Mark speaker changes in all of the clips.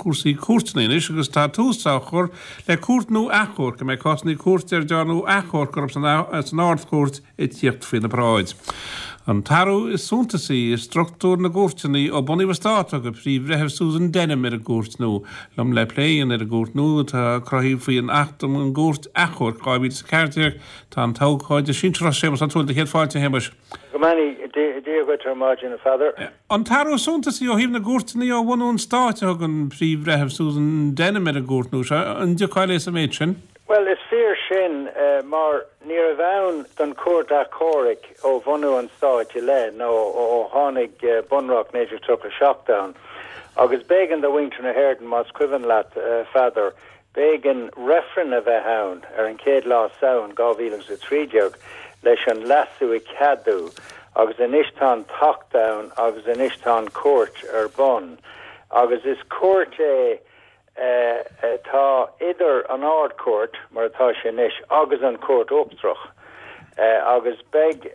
Speaker 1: cúrsaí cúirteanna anois agus tá tús á chur le cúirt nua achomhairc a mbeidh cásanna cúirte ar dearnadh achomharc orthu san Ard-Chúirt ag tíocht faoina bráid. An t-athrú is suntasaí i struchtúr na gcúirteanna ó bunaíodh an stát a thug an Príomh-Bhreitheamh Susan Denham ar an gcúirt nua. Liom le plé a dhéanamh ar an gcúirt nua atá cruthaithe faoin Acht um an gCúirt Achomhairc 2014 tá an t-abhcóide sinsearach Séamus Ó Tuathail. Céad fáilte, a Shéamuis.
Speaker 2: Go mbeannaí Dia dhuit ar maidin, a Pheadair.
Speaker 1: An t-athrú is suntasaí ó thaobh na gcúirteanna ó bhunú an stáit a thug an Príomh-Bhreitheamh Susan Denham ar an gcúirt nua seo. An dtiocfá léi sa mhéid sin?
Speaker 2: Bhuel, is fíor sin, mar ní raibh ann don Chúirt Achomhairc ó bhunú an stáit i leith, nó ó tháinig Bunreacht 1937 ann. Agus b'éigean do mhuintir na hÉireann, más cuimhin leat, a Pheadair, b'éigean reifreann a bheith ann ar an chéad lá Samhain 2013 leis an leasú a cheadú, agus anois tá an tAcht ann agus anois tá an Chúirt ar bun. Agus is cúirt é. atá idir an Ard-Chúirt, mar atá sé anois, agus an Chúirt Uachtarach, agus beidh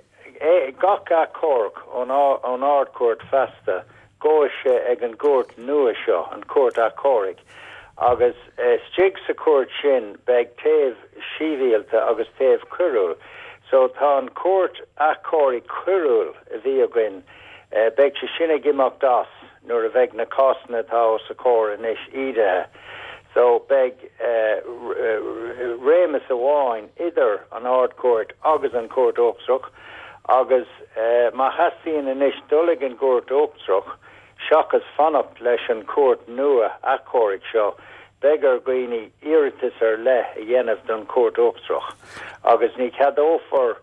Speaker 2: gach achomharc ón Ard-Chúirt feasta, gabhfaidh sé ag an gcúirt nua seo, an Chúirt Achomhairc, agus istigh sa chúirt sin beidh taobh sibhialta agus taobh coiriúil. So tá an Chúirt Achomhairc Choiriúil a bhí againn, beidh sé sin ag imeacht as. nuair a bheidh na cásanna atá os a comhair anois ídithe. So beidh réimeas amháin idir an Ard-Chúirt agus an Chúirt Uachtarach agus má theastaíonn anois dul ag an gCúirt Uachtarach seachas fanacht leis an Chúirt nua achomhairc seo, beidh ar dhaoine iarratas ar leith a dhéanamh don Chúirt Uachtarach agus ní cheadófar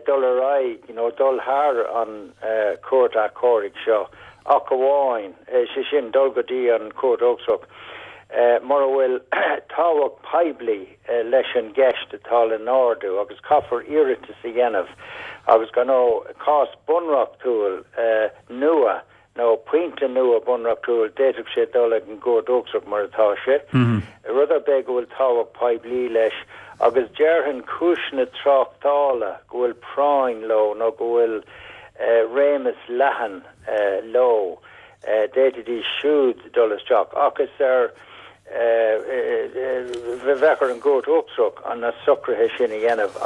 Speaker 2: dul ar aghaidh nó dul thar an Chúirt Achomhairc seo ach amháin, sé sin, dul go dtí an Chúirt Uachtarach, mura bhfuil tábhacht poiblí leis an gceist atá le n-ardú agus caithfear iarratas a dhéanamh agus go ndóigh cás bunreachtúil nua nó pointe nua bunreachtúil, d'fhéadfadh sé dul ag an gCúirt Uachtarach mar atá sé, rud ar bith go bhfuil tábhacht poiblí leis, agus déarfainn cúiseanna tráchtála go bhfuil práinn leo nó go bhfuil réimeas leathan leo, d'fhéadfaidís siúd dul isteach. Ach is ar, bheadh ar an gCúirt Uachtarach na socruithe sin a dhéanamh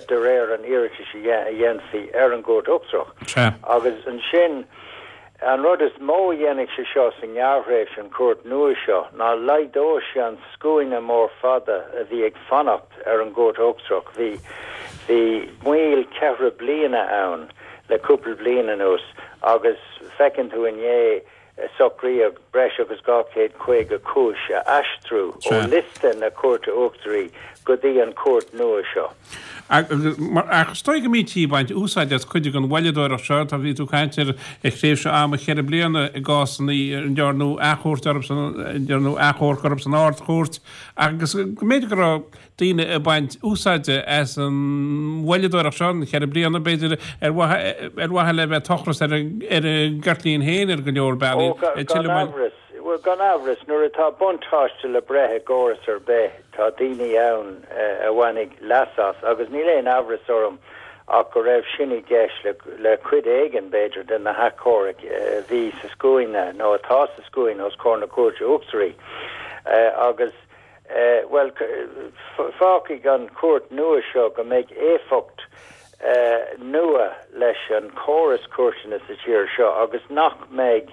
Speaker 2: de réir an iarratais a dhéanfaí ar an gCúirt Uachtarach. Agus ansin, an rud is mó a dhéanfaidh sé seo sa ngearrthréimhse, an chúirt nua seo, ná laghdóidh sé an scuaine mór fada a bhí ag fanacht ar an gCúirt Uachtarach. Bhí, bhí moill cheithre bliana ann le cúpla bliain anuas agus feiceann tú inné, Socraíodh breis agus 250 cúis a aistriú ó liosta na Cúirte Uachtaraí go dtí an chúirt nua seo.
Speaker 1: Ach is dóigh go mbítí ag baint úsáide as cuid den mhoilleadóireacht seo. Tá, bhí tú ag caint ar thréimhse ama cheithre bliana i gcásanna a ndearnadh achomharc orthu san Ard-Chúirt agus go mb'fhéidir go raibh daoine ag baint úsáide as an mhoilleadóireacht seo, an cheithre bliana, b'fhéidir, ar mhaithe le bheith ag tochras ar a gceirtlín féin ar go leor bealaí.
Speaker 2: Ó, gan amhras. Bhuel, gan amhras, nuair atá buntáiste le breith i gcóras ar bith, tá daoine ann a bhainfidh leas as, agus níl aon amhras orm ach go raibh sin i gceist le cuid éigin, b'fhéidir, de na hachomhairc a bhí sa scuaine, nó atá sa scuaine os comhair na Cúirte Uachtaraí. Agus. Bhuel, fágfaidh an chúirt nua seo go mbeidh éifeacht nua leis an chóras cúirteanna sa tír seo agus nach mbeidh,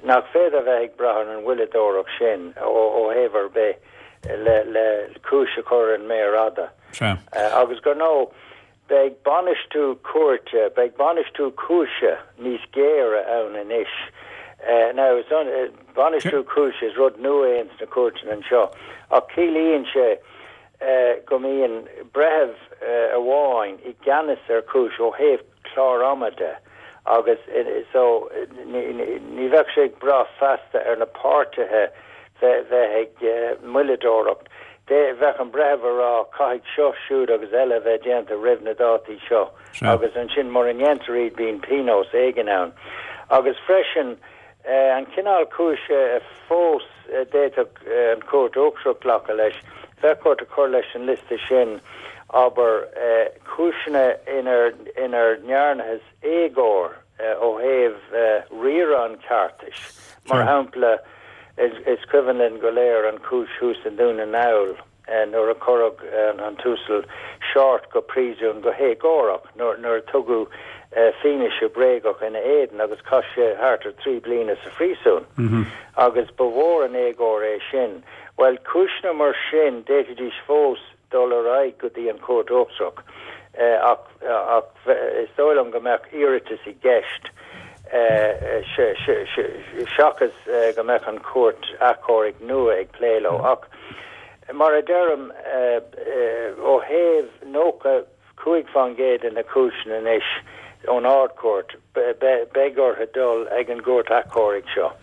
Speaker 2: nach féidir a bheith ag brath ar an mhoilleadóireacht sin ó thaobh ar bith le cúis a chur ar an méar fhada. Agus gur ndóigh, Beidh bainistiú cúirte, beidh bainistiú cúise níos géire ann anois. Now, is bainistiú cúise, is rud nua é ins na cúirteanna anseo, ach ciallaíonn sé go mbíonn breitheamh amháin i gceannas ar chúis ó thaobh clár ama de agus so ní bheadh sé ag brath feasta ar na páirtithe bheith ag moilleadóireacht. Bheadh an breitheamh a rá, caithfidh seo, siúd agus eile a bheith déanta roimh na dátaí seo agus ansin mura ndéantar iad bíonn pionós éigin ann. Agus freisin, an cineál cúise fós a d'fhéadfadh an Chúirt Uachtarach glacadh leis, bheadh ort a chur leis an liosta sin, abair, cúiseanna inar ndearnathas éagóir ó thaobh riaradh an cheartais, mar shampla. Is cuimhin linn go léir an chúis thuas i nDún na nGall nuair a cuireadh an tUasal Shortt go príosún go héagórach nuair a tugadh fianaise bréagach ina éadan agus chaith sé thart ar thrí bliana sa phríosún agus ba mhór an éagóir é sin. Bhuel, cúiseanna mar sin, d'fhéadfaidís fós dul ar aghaidh go dtí an Chúirt Uachtarach ach is dóigh liom go mbeadh iarratas i gceist seachas go mbeadh an Chúirt Achomhairc nua ag plé leo. Ach mar a deirim, ó thaobh 95% de na cúiseanna anois ón Ard-Chúirt, beidh orthu dul ag an gCúirt Achomhairc seo.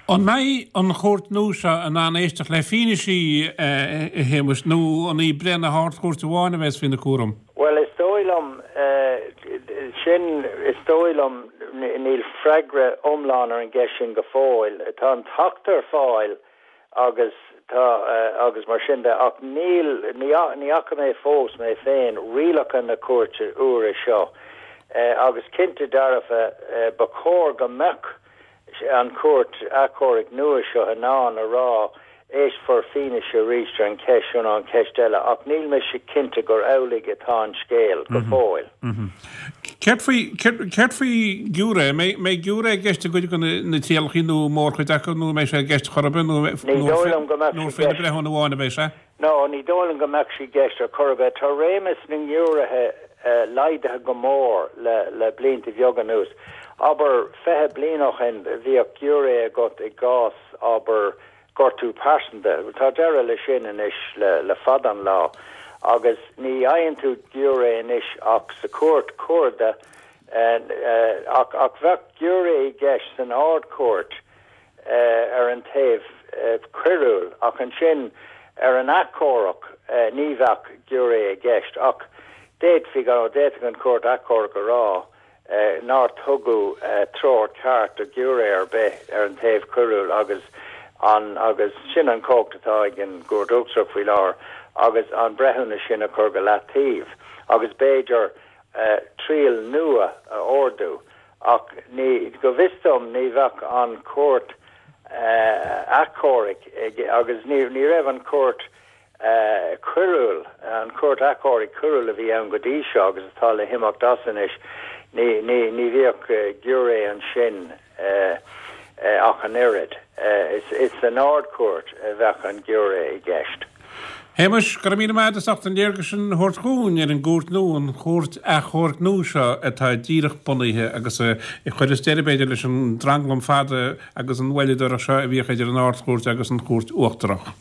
Speaker 1: An mbeidh an chúirt nua seo in ann éisteacht le fianaisí, a Shéamuis, nó an í breith na hArd-Chúirte amháin a bheas faoina cúram?
Speaker 2: Bhuel, is dóigh liom, sin, is dóigh liom, níl freagra iomlán ar an gceist sin go fóill. Tá an tAcht ar fáil agus tá, agus mar sin de, ach níl, ní fhaca mé fós, mé féin, rialacha na cúirte úire seo. Agus cinnte dearfa, ba chóir go mbeadh an chúirt achomhairc nua seo in ann a rá éistfear fianaise arís ar an cheist seo nó an cheist eile ach níl mise cinnte gur amhlaidh atá an scéal go fóill.
Speaker 1: Céard faoi, céard faoi ghiúiré? An mbeidh giúiré i gceist i gcuid de na trialacha nó mórchuid acu nó an mbeidh sé i gceist chor ar bith nó nó faoi na breithiúna amháin a bheidh sé?
Speaker 2: No, ní dóigh liom go mbeadh sé i gceist ar chor ar bith. Tá réimeas na ngiúiréithe laghdaithe go mór le blianta beaga anuas. Abair, 20 bliain ó shin, bhíodh giúiré agat i gcás, abair, gortú pearsanta. Tá deireadh leis sin anois le fada an lá agus ní fhaigheann tú giúiré anois ach sa chúirt chuarda ach ach bheadh giúiré i gceist san Ard-Chúirt ar an taobh coiriúil ach ansin ar an achomharc ní bheadh giúiré i gceist ach d'fhéadfaí, d'fhéadfadh an Chúirt Achomhairc a rá nár tugadh treoir ceart do ghiúiré ar bith ar an taobh coiriúil agus an agus sin an chumhacht atá ag an gCúirt Uachtarach faoi láthair agus an breithiúnas sin a chur go leataobh agus b'fhéidir triail nua a ordú. Ach ní, go bhfios dom, ní bheadh an Chúirt Achomhairc ag, agus ní, ní raibh an Chúirt Choiriúil, an Chúirt Achomhairc Choiriúil a bhí ann go dtí seo agus atá le himeacht as anois, ní, ní, ní bhíodh giúiré ansin ach an oiread. Is, is san Ard-Chúirt a bheadh an giúiré i gceist.
Speaker 1: Shéamais, go raibh míle maith agat as ucht an léargas sin a thabhairt dhúinn ar an gcúirt nua, an Chúirt Achomhairc nua seo atá díreach bunaithe agus a chuireas deireadh, b'fhéidir, leis an dtranglam fada agus an mhoilleadóireacht seo a bhíodh idir an Ard-Chúirt agus an Chúirt Uachtarach.